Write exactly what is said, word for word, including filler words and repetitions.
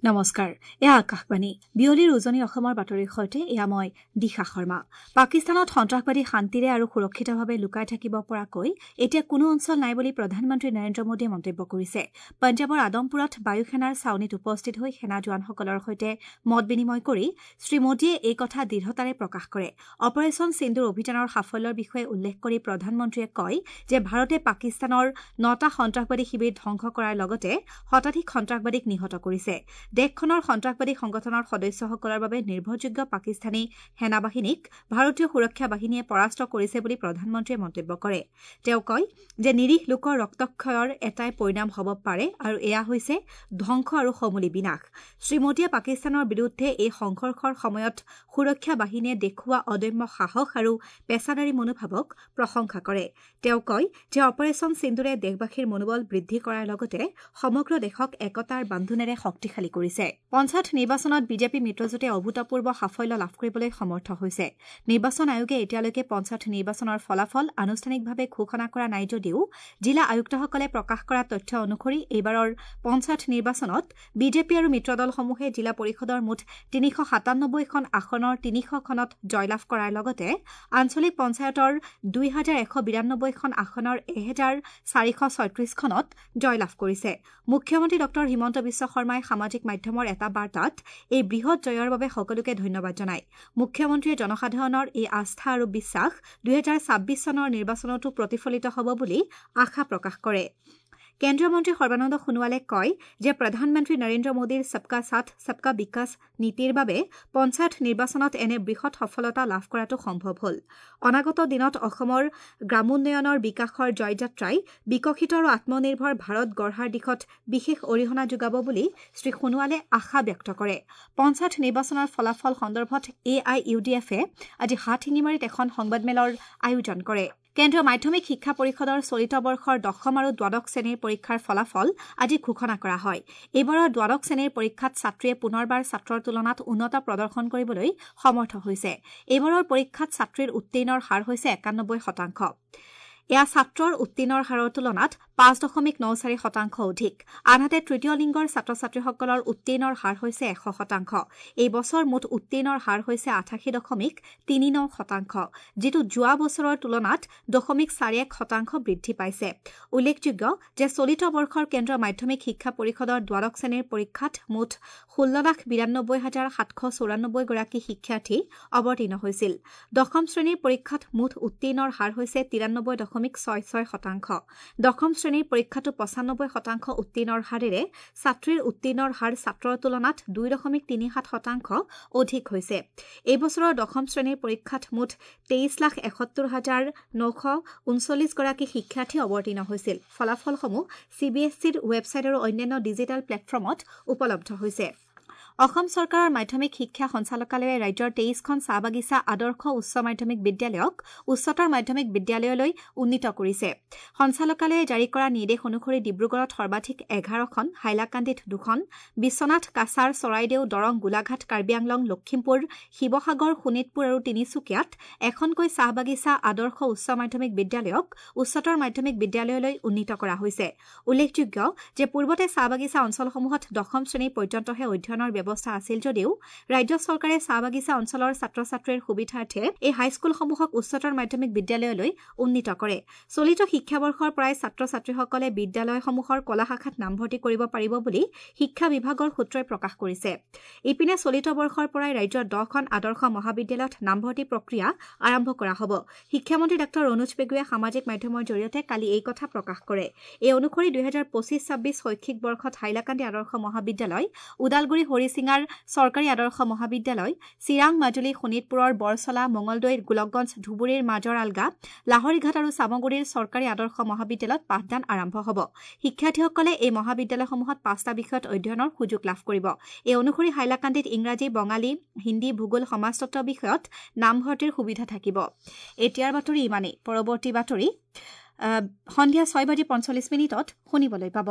নমস্কাৰ, এয়া আকাশবাণী। বিয়লিৰ উজনি অসমৰ বাতৰিৰ সৈতে এয়া মই দিশা শৰ্মা। পাকিস্তানত সন্ত্ৰাসবাদী শান্তিৰে আৰু সুৰক্ষিতভাৱে লুকাই থাকিব পৰাকৈ এতিয়া কোনো অঞ্চল নাই বুলি প্ৰধানমন্ত্ৰী নৰেন্দ্ৰ মোদীয়ে মন্তব্য কৰিছে। পঞ্জাৱৰ আদমপুৰত বায়ুসেনাৰ ছাউনীত উপস্থিত হৈ সেনা জোৱানসকলৰ সৈতে মত বিনিময় কৰি শ্ৰীমোদীয়ে এই কথা দৃঢ়তাৰে প্ৰকাশ কৰে। অপাৰেচন সিন্দুৰ অভিযানৰ সাফল্যৰ বিষয়ে উল্লেখ কৰি প্ৰধানমন্ত্ৰীয়ে কয় যে ভাৰতে পাকিস্তানৰ নটা সন্ত্ৰাসবাদী শিবিৰ ধ্বংস কৰাৰ লগতে শতাধিক সন্ত্ৰাসবাদীক নিহত কৰিছে। দেশখনৰ সন্ত্ৰাসবাদী সংগঠনৰ সদস্যসকলৰ বাবে নিৰ্ভৰযোগ্য পাকিস্তানী সেনাবাহিনীক ভাৰতীয় সুৰক্ষা বাহিনীয়ে পৰাস্ত কৰিছে বুলি প্ৰধানমন্ত্ৰীয়ে মন্তব্য কৰে। তেওঁ কয় যে নিৰীহ লোকৰ ৰক্তক্ষয়ৰ এটাই পৰিণাম হ'ব পাৰে আৰু এয়া হৈছে ধ্বংস আৰু সমূলি বিনাশ। শ্ৰীমোদীয়ে পাকিস্তানৰ বিৰুদ্ধে এই সংঘৰ্ষৰ সময়ত সুৰক্ষা বাহিনীয়ে দেখুওৱা অদম্য সাহস আৰু পেছাদাৰী মনোভাৱক প্ৰশংসা কৰে। তেওঁ কয় যে অপাৰেচন সিন্দুৰে দেশবাসীৰ মনোবল বৃদ্ধি কৰাৰ লগতে সমগ্ৰ দেশক একতাৰ বান্ধোনেৰে শক্তিশালী কৰিছে। পঞ্চায়ত নিৰ্বাচনত বিজেপি মিত্ৰজোঁটে অভূতপূৰ্ব সাফল্য লাভ কৰিবলৈ সমৰ্থ হৈছে। নিৰ্বাচন আয়োগে এতিয়ালৈকে পঞ্চায়ত নিৰ্বাচনৰ ফলাফল আনুষ্ঠানিকভাৱে ঘোষণা কৰা নাই যদিও জিলা আয়ুক্তসকলে প্ৰকাশ কৰা তথ্য অনুসৰি এইবাৰৰ পঞ্চায়ত নিৰ্বাচনত বিজেপি আৰু মিত্ৰদলসমূহে জিলা পৰিষদৰ মুঠ তিনিশ সাতানব্বৈখন আসনৰ তিনিশখনত জয়লাভ কৰাৰ লগতে আঞ্চলিক পঞ্চায়তৰ দুই হাজাৰ এশ বিৰানব্বৈখন আসনৰ এহেজাৰ চাৰিশ ছয়ত্ৰিশখনত জয়লাভ কৰিছে। মুখ্যমন্ত্ৰী ডঃ হিমন্ত বিশ্ব শৰ্মাই সামাজিক মাধ্যমৰ এটা বাৰ্তাত এই বৃহৎ জয়ৰ বাবে সকলোকে ধন্যবাদ জনায়। মুখ্যমন্ত্ৰীয়ে জনসাধাৰণৰ এই আস্থা আৰু বিশ্বাস দুহেজাৰ ছাব্বিছ চনৰ নিৰ্বাচনতো প্ৰতিফলিত হ'ব বুলি আশা প্ৰকাশ কৰে। কেন্দ্ৰীয় মন্ত্ৰী সৰ্বানন্দ সোণোৱালে কয় যে প্ৰধানমন্ত্ৰী নৰেন্দ্ৰ মোদীৰ সবকা সাথ সবকা বিকাশ নীতিৰ বাবে পঞ্চায়ত নিৰ্বাচনত এনে বৃহৎ সফলতা লাভ কৰাটো সম্ভৱ হ'ল। অনাগত দিনত অসমৰ গ্ৰামোন্নয়নৰ বিকাশৰ জয়যাত্ৰাই বিকশিত আৰু আত্মনিৰ্ভৰ ভাৰত গঢ়াৰ দিশত বিশেষ অৰিহণা যোগাব বুলি শ্ৰী সোণোৱালে আশা ব্যক্ত কৰে। পঞ্চায়ত নিৰ্বাচনৰ ফলাফল সন্দৰ্ভত এ I U D এফে আজি হাটশিঙিমাৰীত এখন সংবাদমেলৰ আয়োজন কৰে। কেন্দ্ৰীয় মাধ্যমিক শিক্ষা পৰিষদৰ চলিত বৰ্ষৰ দশম আৰু দ্বাদশ শ্ৰেণীৰ পৰীক্ষাৰ ফলাফল আজি ঘোষণা কৰা হয়। এইবাৰৰ দ্বাদশ শ্ৰেণীৰ পৰীক্ষাত ছাত্ৰীয়ে পুনৰবাৰ ছাত্ৰৰ তুলনাত উন্নত প্ৰদৰ্শন কৰিবলৈ সমৰ্থ হৈছে। এইবাৰৰ পৰীক্ষাত ছাত্ৰীৰ উত্তীৰ্ণৰ হাৰ হৈছে একানব্বৈ শতাংশ। এয়া ছাত্ৰৰ উত্তীৰ্ণৰ হাৰৰ তুলনাত পাঁচ দশমিক ন চাৰি শতাংশ অধিক। আনহাতে তৃতীয় লিংগৰ ছাত্ৰ ছাত্ৰীসকলৰ উত্তীৰ্ণৰ হাৰ হৈছে এশ শতাংশ। এই বছৰ মুঠ উত্তীৰ্ণৰ হাৰ হৈছে আঠাশী দশমিক তিনি ন শতাংশ, যিটো যোৱা বছৰৰ তুলনাত দশমিক চাৰি এক শতাংশ বৃদ্ধি পাইছে। উল্লেখযোগ্য যে চলিত বৰ্ষৰ কেন্দ্ৰীয় মাধ্যমিক শিক্ষা পৰিষদৰ দ্বাদশ শ্ৰেণীৰ পৰীক্ষাত মুঠ ষোল্ল লাখ বিৰানব্বৈ হাজাৰ সাতশ চৌৰানব্বৈ গৰাকী শিক্ষাৰ্থী অৱতীৰ্ণ হৈছিল। দশম শ্ৰেণীৰ পৰীক্ষাত মুঠ উত্তীৰ্ণৰ হাৰ হৈছে তিৰানব্বৈ দশমিক ছয় ছয় শতাংশ। দশম শ্ৰেণীৰ পৰীক্ষাটো পঁচানব্বৈ শতাংশ উত্তীৰ্ণৰ হাৰেৰে ছাত্ৰীৰ উত্তীৰ্ণৰ হাৰ ছাত্ৰৰ তুলনাত দুই দশমিক তিনি সাত শতাংশ অধিক হৈছে। এই বছৰৰ দশম শ্ৰেণীৰ পৰীক্ষাত মুঠ তেইছ লাখ এসত্তৰ হাজাৰ নশ ঊনচল্লিছ গৰাকী শিক্ষাৰ্থী অৱতীৰ্ণ হৈছিল। ফলাফলসমূহ চি বি এছ চিৰ ৱেবছাইট আৰু অন্যান্য ডিজিটেল প্লেটফৰ্মত উপলব্ধ হৈছে। অসম চৰকাৰৰ মাধ্যমিক শিক্ষা সঞ্চালকালয়ে ৰাজ্যৰ তেইছখন চাহ বাগিচা আদৰ্শ উচ্চ মাধ্যমিক বিদ্যালয়ক উচ্চতৰ মাধ্যমিক বিদ্যালয়লৈ উন্নীত কৰিছে। সঞ্চালকালয়ে জাৰি কৰা নিৰ্দেশ অনুসৰি ডিব্ৰুগড়ত সৰ্বাধিক এঘাৰখন, হাইলাকান্দিত দুখন, বিশ্বনাথ, কাছাৰ, চৰাইদেউ, দৰং, গোলাঘাট, কাৰ্বি আংলং, লখিমপুৰ, শিৱসাগৰ, শোণিতপুৰ আৰু তিনিচুকীয়াত এখনকৈ চাহ বাগিচা আদৰ্শ উচ্চ মাধ্যমিক বিদ্যালয়ক উচ্চতৰ মাধ্যমিক বিদ্যালয়লৈ উন্নীত কৰা হৈছে। উল্লেখযোগ্য যে পূৰ্বতে চাহ বাগিচা অঞ্চলসমূহত দশম শ্ৰেণী পৰ্যন্তহে অধ্যয়নৰ ব্যৱস্থা আছিল যদিও ৰাজ্য চৰকাৰে চাহ বাগিচা অঞ্চলৰ ছাত্ৰ ছাত্ৰীৰ সুবিধাৰ্থে এই হাইস্কুলসমূহক উচ্চতৰ মাধ্যমিক বিদ্যালয়লৈ উন্নীত কৰে। চলিত শিক্ষাবৰ্ষৰ পৰাই ছাত্ৰ ছাত্ৰীসকলে বিদ্যালয়সমূহৰ কলা শাখাত নামভৰ্তি কৰিব পাৰিব বুলি শিক্ষা বিভাগৰ সূত্ৰই প্ৰকাশ কৰিছে। ইপিনে চলিত বৰ্ষৰ পৰাই ৰাজ্যৰ দহখন আদৰ্শ মহাবিদ্যালয়ত নামভৰ্তি প্ৰক্ৰিয়া আৰম্ভ কৰা হ'ব। শিক্ষামন্ত্ৰী ডাঃ ৰণোজ পেগুৱে সামাজিক মাধ্যমৰ জৰিয়তে কালি এই কথা প্ৰকাশ কৰে। এই অনুসৰি দুহেজাৰ পঁচিছ ছাব্বিছ শৈক্ষিক বৰ্ষত হাইলাকান্দি আদৰ্শ মহাবিদ্যালয়, ওদালগুৰি হৰিশিঙাৰ চৰকাৰী আদৰ্শ মহাবিদ্যালয়, চিৰাং, মাজুলী, শোণিতপুৰৰ বৰচলা, মঙলদৈ, গোলকগঞ্জ, ধুবুৰীৰ মাজৰ আলগা, লাহৰীঘাট আৰু চামগুৰিৰ চৰকাৰী আদৰ্শ মহাবিদ্যালয়ত পাঠদান আৰম্ভ হ'ব। শিক্ষাৰ্থীসকলে এই মহাবিদ্যালয়সমূহত পাঁচটা বিষয়ত অধ্যয়নৰ সুযোগ লাভ কৰিব। এই অনুসৰি হাইলাকান্দিত ইংৰাজী, বঙালী, হিন্দী, ভূগোল, সমাজতত্ব বিষয়ত নামভৰ্তিৰ সুবিধা থাকিব। এতিয়াৰ বাতৰি ইমানেই। পৰৱৰ্তী বাতৰি সন্ধিয়া ছয় বাজি পঞ্চল্লিছ মিনিটত শুনিবলৈ পাব।